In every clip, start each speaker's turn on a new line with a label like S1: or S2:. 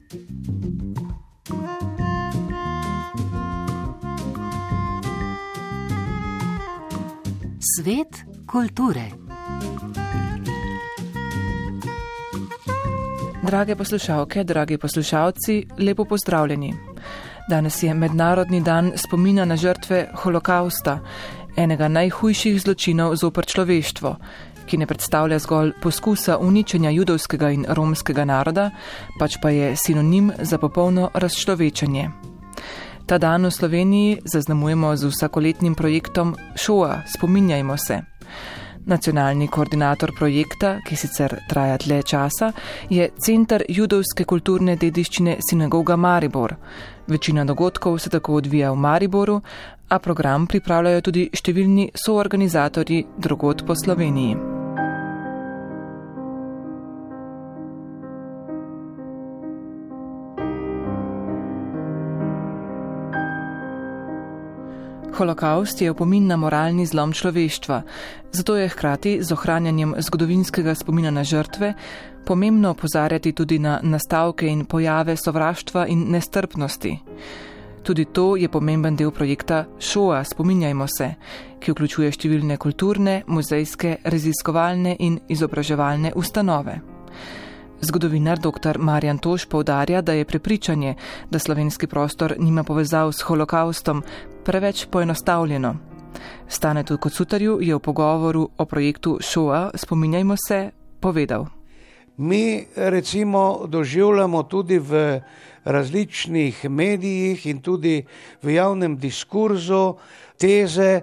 S1: Svet kulture.
S2: Drage poslušalke, dragi poslušalci, lepo pozdravljeni. Danes je Mednarodni dan spomina na žrtve holokausta, enega najhujših zločinov zoper človeštvo, ki ne predstavlja zgolj poskusa uničenja judovskega in romskega naroda, pač pa je sinonim za popolno razčlovečenje. Ta dan v Sloveniji zaznamujemo z vsakoletnim projektom Šoa, spominjajmo se. Nacionalni koordinator projekta, ki sicer traja dlje časa, je Center judovske kulturne dediščine Sinagoga Maribor. Večina dogodkov se tako odvija v Mariboru, a program pripravljajo tudi številni soorganizatorji drugod po Sloveniji. Holokaust je opomin na moralni zlom človeštva, zato je hkrati z ohranjanjem zgodovinskega spomina na žrtve pomembno opozarjati tudi na nastavke in pojave sovraštva in nestrpnosti. Tudi to je pomemben del projekta Šoa, spominjajmo se, ki vključuje številne kulturne, muzejske, raziskovalne in izobraževalne ustanove. Zgodovinar dr. Marjan Toš poudarja, da je prepričanje, da slovenski prostor nima povezav s holokaustom, preveč poenostavljeno. Stanetu Kocutarju je v pogovoru o projektu Šoa, spominjajmo se, povedal.
S3: Mi recimo doživljamo tudi v različnih medijih in tudi v javnem diskurzu teze,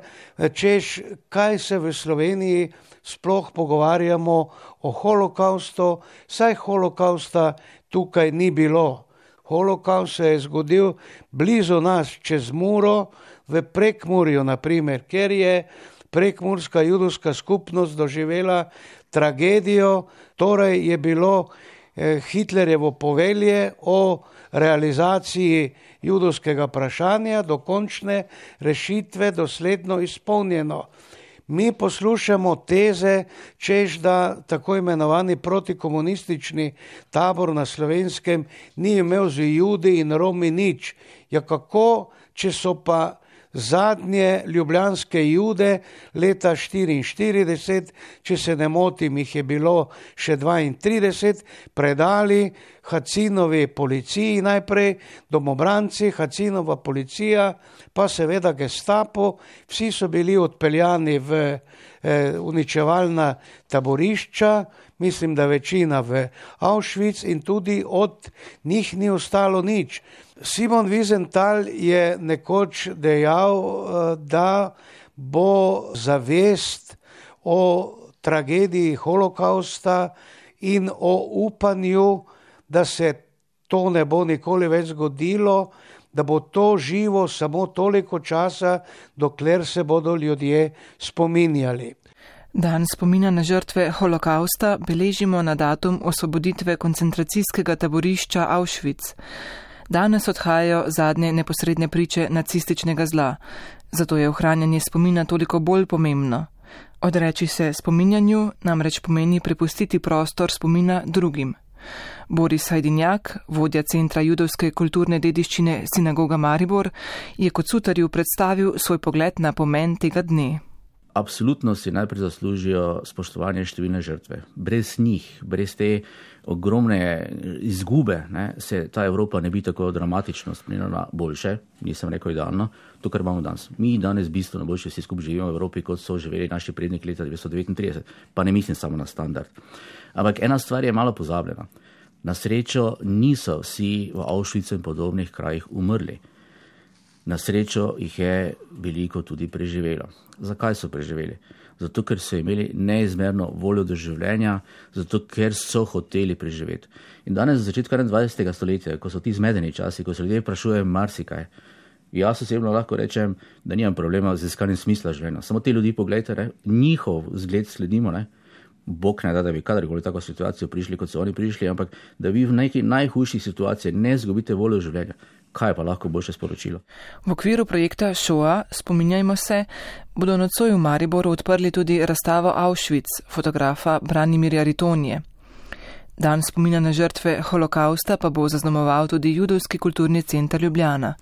S3: češ kaj se v Sloveniji sploh pogovarjamo o holokaustu, saj holokausta tukaj ni bilo. Holokaust se je zgodil blizu nas, čez Muro, v Prekmurju, naprimer, ker je prekmurska judovska skupnost doživela tragedijo, torej je bilo Hitlerjevo povelje o realizaciji judovskega vprašanja do končne rešitve dosledno izpolnjeno. Mi poslušamo teze, češ da tako imenovani protikomunistični tabor na Slovenskem ni imel z Judi in Romi nič. Ja kako, če so pa zadnje ljubljanske Jude leta 1944, če se ne motim, jih je bilo še 32, predali Hacinovi policiji najprej, domobranci, Hacinova policija, pa seveda Gestapo, vsi so bili odpeljani v uničevalna taborišča, mislim, da večina v Auschwitz in tudi od njih ni ostalo nič. Simon Wiesenthal je nekoč dejal, da bo zavest o tragediji holokausta in o upanju, da se to ne bo nikoli več zgodilo, da bo to živo samo toliko časa, dokler se bodo ljudje spominjali.
S2: Dan spomina na žrtve holokausta beležimo na datum osvoboditve koncentracijskega taborišča Auschwitz. Danes odhajajo zadnje neposredne priče nacističnega zla, zato je ohranjanje spomina toliko bolj pomembno. Odreči se spominjanju namreč pomeni prepustiti prostor spomina drugim. Boris Hajdinjak, vodja Centra judovske kulturne dediščine Sinagoga Maribor, je Kocutarju predstavil svoj pogled na pomen tega dne.
S4: Absolutno si najprej zaslužijo spoštovanje številne žrtve. Brez njih, brez te ogromne izgube, se ta Evropa ne bi tako dramatično spremenila boljše, nisem rekel idealno, to, kar imamo danes. Mi danes bistveno boljše vsi skupaj živimo v Evropi, kot so živeli naši predniki leta 1939, pa ne mislim samo na standard. Ampak ena stvar je malo pozabljena. Na srečo niso vsi v Auschwitzu in podobnih krajih umrli. Na srečo jih je veliko tudi preživelo. Zakaj so preživeli? Zato, ker so imeli neizmerno voljo do življenja, zato, ker so hoteli preživeti. In danes, v začetku 21. stoletja, ko so ti zmedeni časi, ko se ljudje vprašujejo marsikaj, jaz osebno lahko rečem, da nimam problema z iskanjem smisla življenja. Samo te ljudi pogledajte, njihov zgled sledimo, Bog ne da bi kadarkoli tako situacijo prišli, kot so oni prišli, ampak da vi v neki najhujših situacijah ne izgubite voljo življenja. Kaj pa lahko boljše sporočilo?
S2: V okviru projekta Šoa, spominjajmo se, bodo nocoj v Mariboru odprli tudi razstavo Auschwitz fotografa Branimirja Ritonije. Dan spomina na žrtve holokausta pa bo zaznamoval tudi Judovski kulturni center Ljubljana.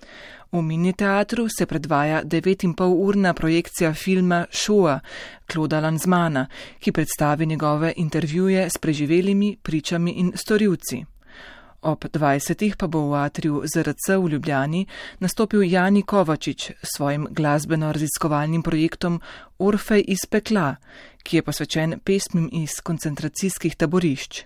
S2: V Mini teatru se predvaja 9,5-urna projekcija filma Shoah Clauda Lanzmana, ki predstavi njegove intervjuje s preživelimi, pričami in storilci. Ob 20. pa bo v atriju ZRC v Ljubljani nastopil Jani Kovačič s svojim glasbeno-raziskovalnim projektom Orfej iz pekla, ki je posvečen pesmim iz koncentracijskih taborišč.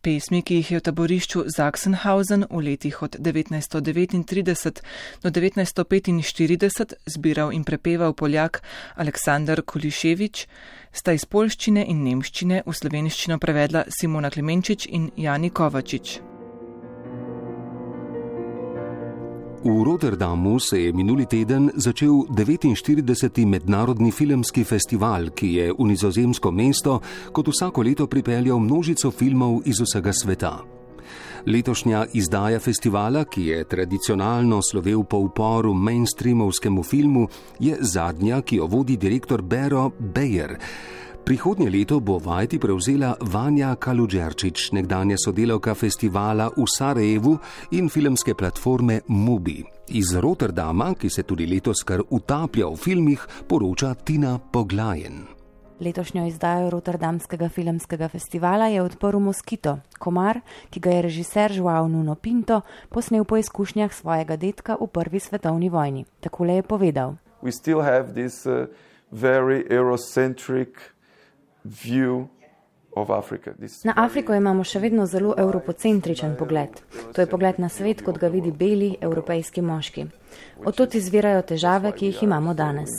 S2: Pesmi, ki jih je v taborišču Sachsenhausen v letih od 1939 do 1945 zbiral in prepeval Poljak Aleksandar Kuliševič, sta iz poljščine in nemščine v slovenščino prevedla Simona Klemenčič in Jani Kovačič.
S5: V Rotterdamu se je minuli teden začel 49. mednarodni filmski festival, ki je v nizozemsko mesto kot vsako leto pripeljal množico filmov iz vsega sveta. Letošnja izdaja festivala, ki je tradicionalno slovel po uporu mainstreamovskemu filmu, je zadnja, ki jo vodi direktor Bero Beyer. Prihodnje leto bo vajeti prevzela Vanja Kaludžerčič, nekdanja sodelavka festivala v Sarajevu in filmske platforme Mubi. Iz Rotterdama, ki se tudi letos kar utaplja v filmih, poroča Tina Poglajen.
S6: Letošnjo izdajo Rotterdamskega filmskega festivala je odprl Moskito, komar, ki ga je režiser Joao Nuno Pinto posnel po izkušnjah svojega dedka v prvi svetovni vojni. Takole je povedal.
S7: We still have this very Eurocentric view of Africa.
S6: Na Afriko imamo še vedno zelo evropocentričen pogled. To je pogled na svet, kot ga vidi beli evropejski moški. Odtot izvirajo težave, ki jih imamo danes.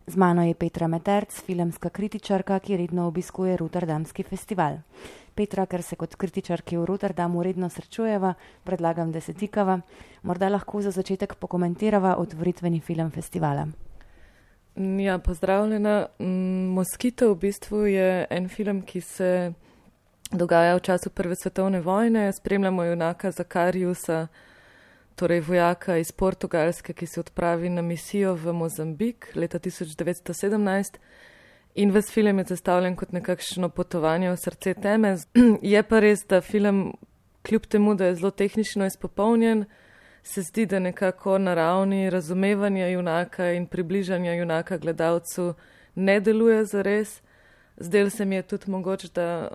S6: Z mano je Petra Meterc, filmska kritičarka, ki redno obiskuje Rotterdamski festival. Petra, ker se kot kritičarki v Rotterdamu redno srečujeva, predlagam, da se tikava. Morda lahko za začetek pokomentirava otvoritveni film festivala.
S8: Ja, pozdravljena. Moskito v bistvu je en film, ki se dogaja v času Prve svetovne vojne. Spremljamo junaka Zakariusa, torej vojaka iz Portugalske, ki se odpravi na misijo v Mozambik leta 1917. In ves film je zastavljen kot nekakšno potovanje v srce teme. Je pa res, da film, kljub temu, da je zelo tehnično izpopolnjen, se zdi, da nekako na ravni razumevanja junaka in približanja junaka gledalcu ne deluje zares. Zdel se mi je tudi mogoče, da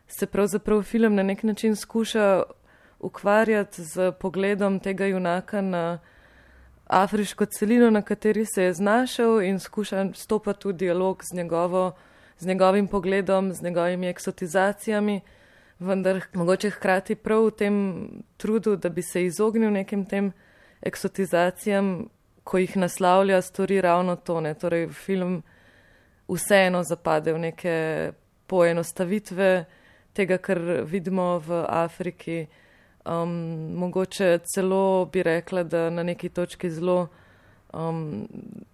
S8: se pravzaprav film na nek način skuša ukvarjati z pogledom tega junaka na afriško celino, na kateri se je znašel, in skuša stopati v dialog z njegovim pogledom, z njegovimi eksotizacijami. Vendar mogoče hkrati prav v tem trudu, da bi se izognil nekim tem eksotizacijam, ko jih naslavlja, stori ravno to. Torej film vseeno zapade v neke poenostavitve tega, kar vidimo v Afriki. Mogoče celo bi rekla, da na neki točki zelo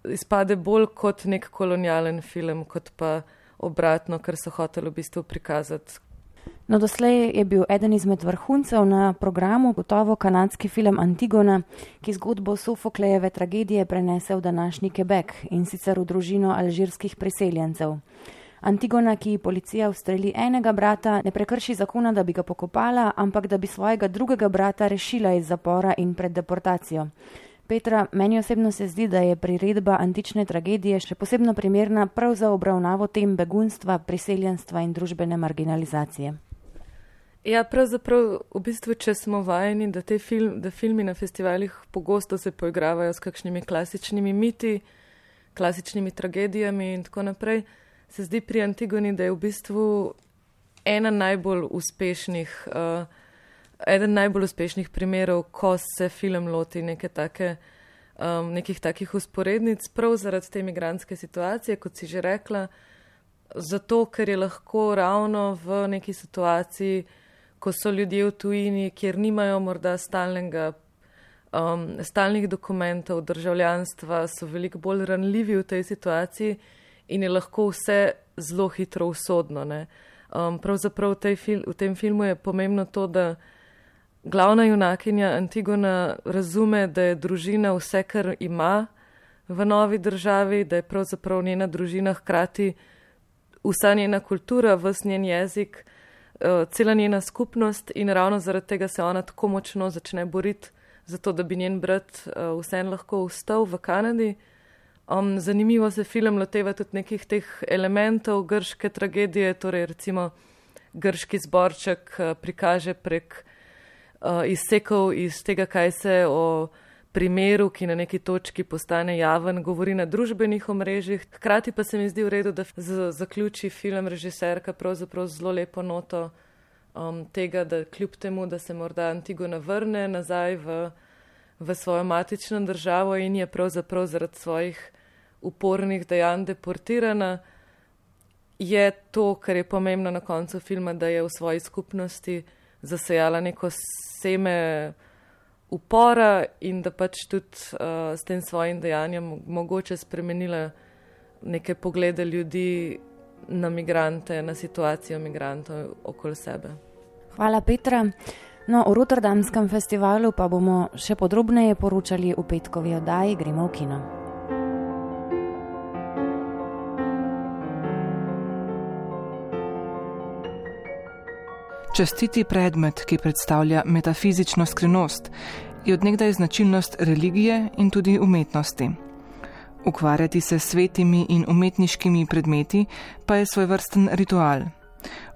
S8: izpade bolj kot nek kolonialen film, kot pa obratno, kar so hoteli v bistvu prikazati.
S6: No, doslej je bil eden izmed vrhuncev na programu gotovo kanadski film Antigona, ki zgodbo Sofoklejeve tragedije prenese v današnji Quebec, in sicer v družino alžirskih priseljencev. Antigona, ki policija ustreli enega brata, ne prekrši zakona, da bi ga pokopala, ampak da bi svojega drugega brata rešila iz zapora in pred deportacijo. Petra, meni osebno se zdi, da je priredba antične tragedije še posebno primerna prav za obravnavo tem begunstva, priseljenstva in družbene marginalizacije.
S8: Ja, pravzaprav v bistvu, če smo vajeni, da filmi na festivalih pogosto se poigravajo s kakšnimi klasičnimi miti, klasičnimi tragedijami in tako naprej, se zdi pri Antigoni, da je v bistvu eden najbolj uspešnih primerov, ko se film loti nekih takih usporednic, prav zaradi te migrantske situacije, kot si že rekla, zato, ker je lahko ravno v neki situaciji, ko so ljudje v tujini, kjer nimajo morda stalnih dokumentov, državljanstva, so veliko bolj ranljivi v tej situaciji in je lahko vse zelo hitro usodno. Pravzaprav v tem filmu je pomembno to, da glavna junakinja Antigona razume, da je družina vse, kar ima v novi državi, da je pravzaprav njena družina hkrati vsa njena kultura, ves njen jezik, cela njena skupnost in ravno zaradi tega se ona tako močno začne boriti za to, da bi njen brat vseeno lahko vstal v Kanadi. Zanimivo se film loteva tudi nekih teh elementov grške tragedije, torej recimo grški zborček prikaže prek izsekov iz tega, kaj se o primeru, ki na neki točki postane javen, govori na družbenih omrežjih. Hkrati pa se mi zdi v redu, da zaključi film režiserka pravzaprav zelo lepo noto tega, da kljub temu, da se morda Antigona vrne nazaj v svojo matično državo in je pravzaprav zaradi svojih upornih dejanj deportirana, je to, kar je pomembno na koncu filma, da je v svoji skupnosti zasejala neko seme upora in da pač tudi s tem svojim dejanjem mogoče spremenila neke poglede ljudi na migrante, na situacijo migrantov okoli sebe.
S6: Hvala, Petra. No, o Rotterdamskem festivalu pa bomo še podrobneje poročali v petkovi oddaji Gremo v kino.
S2: Častiti predmet, ki predstavlja metafizično skrivnost, je od nekdaj značilnost religije in tudi umetnosti. Ukvarjati se s svetimi in umetniškimi predmeti pa je svojvrsten ritual.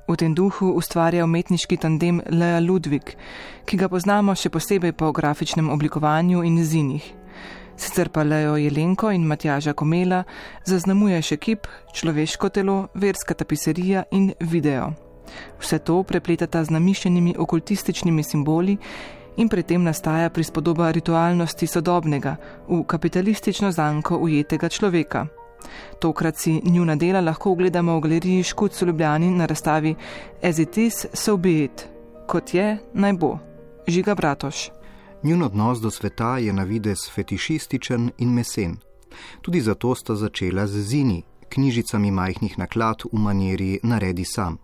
S2: V tem duhu ustvarja umetniški tandem Lea Ludwig, ki ga poznamo še posebej po grafičnem oblikovanju in zinih. Sicer pa Leo Jelenko in Matjaža Komela zaznamuje še kip, človeško telo, verska tapiserija in video. Vse to prepletata z namišljenimi okultističnimi simboli in pri tem nastaja prispodoba ritualnosti sodobnega, v kapitalistično zanko ujetega človeka. Tokrat si njuna dela lahko ogledamo v galeriji Škuc v Ljubljani na razstavi As it is, so be it. Kot je, naj bo. Žiga Bratoš.
S9: Njun odnos do sveta je na videz fetišističen in mesen. Tudi zato sta začela z zini, knjižicami majhnih naklad v maniri naredi sam.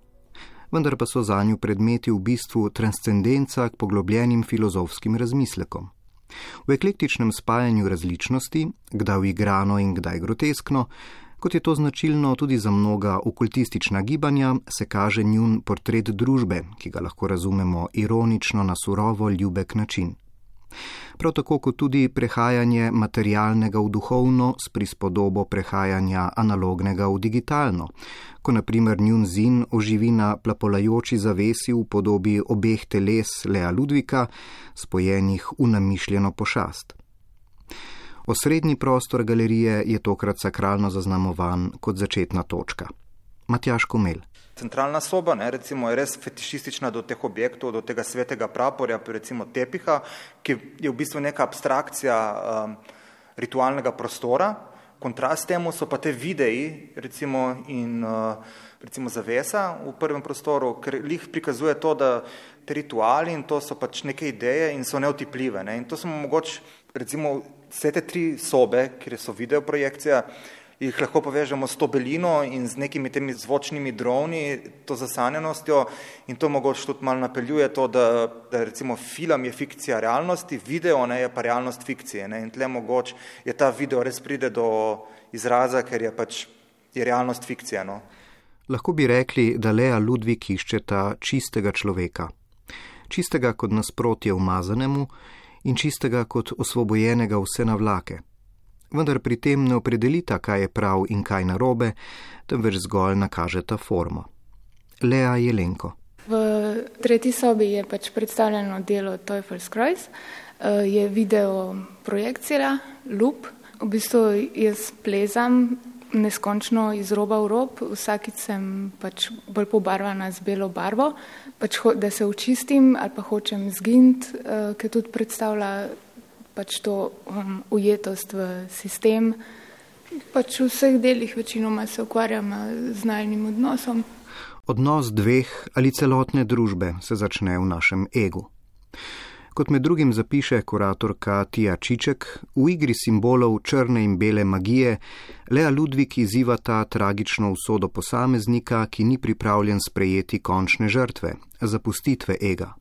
S9: Vendar pa so zanju predmeti v bistvu transcendenca k poglobljenim filozofskim razmislekom. V eklektičnem spajanju različnosti, kdaj uigrano in kdaj groteskno, kot je to značilno tudi za mnoga okultistična gibanja, se kaže njun portret družbe, ki ga lahko razumemo ironično na surovo ljubek način. Prav tako kot tudi prehajanje materialnega v duhovno s prispodobo prehajanja analognega v digitalno, ko na primer njun zin oživi na plapolajoči zavesi v podobi obeh teles Lea Ludvika, spojenih v namišljeno pošast. Osrednji prostor galerije je tokrat sakralno zaznamovan kot začetna točka. Matjaž Komel.
S10: Centralna soba, recimo, je res fetišistična do teh objektov, do tega svetega praporja, recimo tepiha, ki je v bistvu neka abstrakcija ritualnega prostora. Kontrast temu so pa te videi, recimo, in recimo zavesa v prvem prostoru, ker lih prikazuje to, da te rituali in to so pač neke ideje in so neotipljive. In to smo mogoče, recimo, vse te 3 sobe, kjer so videoprojekcija, jih lahko povežemo s to belino in z nekimi temi zvočnimi droni, to zasanjenostjo in to mogoče tudi malo napeljuje to, da recimo film je fikcija realnosti, video je pa realnost fikcije. In tle mogoče je ta video res pride do izraza, ker je pač je realnost fikcija.
S9: Lahko bi rekli, da Lea Ludwig iščeta čistega človeka. Čistega kot nasprotje umazanemu in čistega kot osvobojenega vse navlake. Vendar pri tem ne opredelita, kaj je prav in kaj narobe, temveč zgolj nakažeta formo. Lea Jelenko.
S11: V 3. sobi je pač predstavljeno delo Teufelskreuz, je video projekcija, loop. V bistvu jaz plezam neskončno iz roba v rob, vsakič sem pač bolj pobarvana z belo barvo, pač da se očistim ali pa hočem zginiti, ker tudi predstavlja pač to ujetost v sistem. Pač v vseh delih večinoma se ukvarjam z najnim odnosom.
S9: Odnos 2 ali celotne družbe se začne v našem egu. Kot med drugim zapiše kuratorka Tija Čiček, v igri simbolov črne in bele magije Lea Ludwig izziva ta tragično usodo posameznika, ki ni pripravljen sprejeti končne žrtve, zapustitve ega.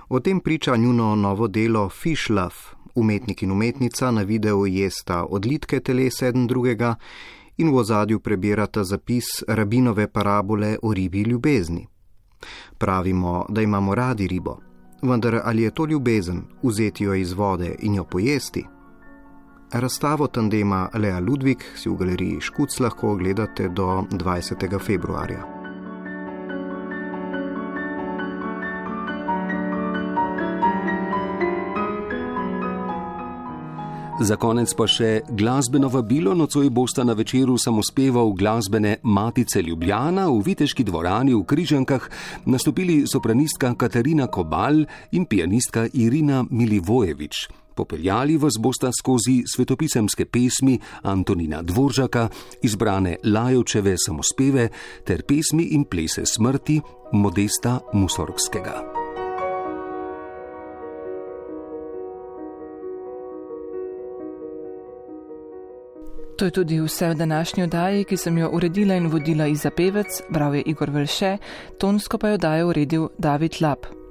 S9: O tem priča njuno novo delo Fish Love. Umetnik in umetnica na videu jesta odlitke teles eden drugega in v ozadju prebirata zapis rabinove parabole o ribi ljubezni. Pravimo, da imamo radi ribo, vendar ali je to ljubezen, vzeti jo iz vode in jo pojesti? Razstavo tandema Lea Ludvig si v galeriji Škuc lahko ogledate do 20. februarja.
S5: Za konec pa še glasbeno vabilo. Nocoj bosta na večeru samospeval glasbene Matice Ljubljana v Viteški dvorani v Križankah nastopili sopranistka Katarina Kobal in pianistka Irina Milivojevič. Popeljali vas bosta skozi svetopisemske pesmi Antonina Dvoržaka, izbrane Lajovčeve samospeve ter pesmi in plese smrti Modesta Musorgskega.
S2: To je tudi vse v današnji oddaji, ki sem jo uredila in vodila Iza Pevec, bral je Igor Velše, tonsko pa jo daje uredil David Lab.